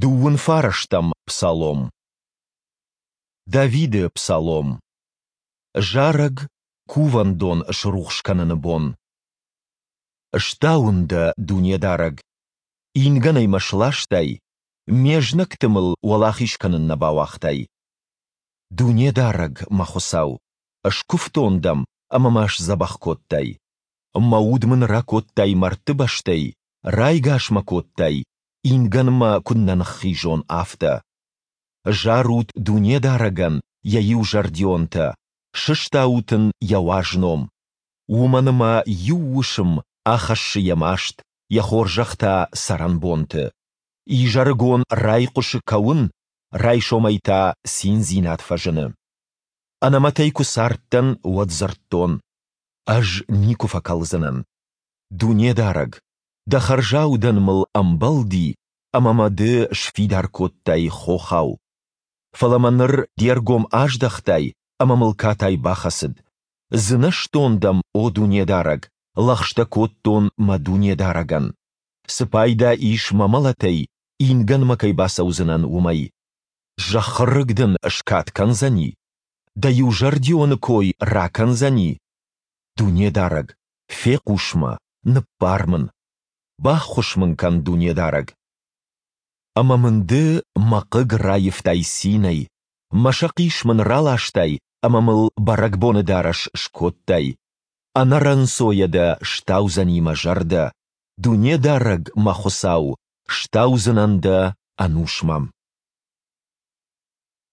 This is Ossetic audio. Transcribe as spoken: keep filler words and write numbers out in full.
Дыууын фарӕстӕм псалом. Давиды псалом. Зарӕг Кувӕндон срухс кӕныны бон. Стауын Дӕ, Дунедарӕг! Ингӕнӕй мӕ сластай, ме знӕгты мыл уӕлахиз кӕнын нӕ бауагътай. Дунедарӕг, мӕ Хуыцау, скуывтон Дӕм, ӕмӕ мӕ сдзӕбӕх кодтай. Мӕ уд мын ракодтай мӕрдты бӕстӕй, райгас мӕ кодтай, ингӕнмӕ куыд нӕ ныххизон, афтӕ. Зарут Дунедарӕгӕн, Йӕ иузӕрдионтӕ, сыстаут Ын Йӕ уаз ном. Уымӕн ӕмӕ иу уысм ахӕссы Йӕ маст, Йӕ хорзӕх та цӕрӕнбонты. Изӕрыгон райхъуысы кӕуын, райсомӕй та циндзинад фӕзыны. Ӕнӕмӕтӕй куы цардтӕн, уӕд дзырдтон: «Ӕз никуы фӕкӕлдзынӕн». Дунедарӕг, Дӕ хӕрзаудӕн мыл ӕмбӕлди, ӕмӕ мӕ Ды сфидар кодтай хохау. Фӕлӕ мӕ ныр Де ргом аздӕхтай, ӕмӕ мыл катай бахӕцыд. Дзынӕзтон Дӕм, о Дунедарӕг, лӕгъстӕ кодтон мӕ Дунедарӕгӕн. Цы пайда ис мӕ мӕлӕтӕй, ингӕнмӕ кӕй бацӕудзынӕн, уымӕй? Зӕххы рыг дын скад кӕндзӕни? Дӕ иузӕрдионы кой ракӕндзӕни? Дунедарӕг, фехъус мӕ, ныббар мын! Баххуыс мын кӕн, Дунедарӕг! Ӕмӕ мын Ды мӕ хъыг раивтай цинӕй, мӕ сӕхъис мын раластай ӕмӕ мыл бӕрӕгбоны дарӕс скодтай. Ӕнӕрӕнцойӕ Дӕ стаудзӕни мӕ зӕрдӕ, Дунедарӕг, мӕ Хуыцау, стаудзынӕн Дӕ ӕнусмӕ.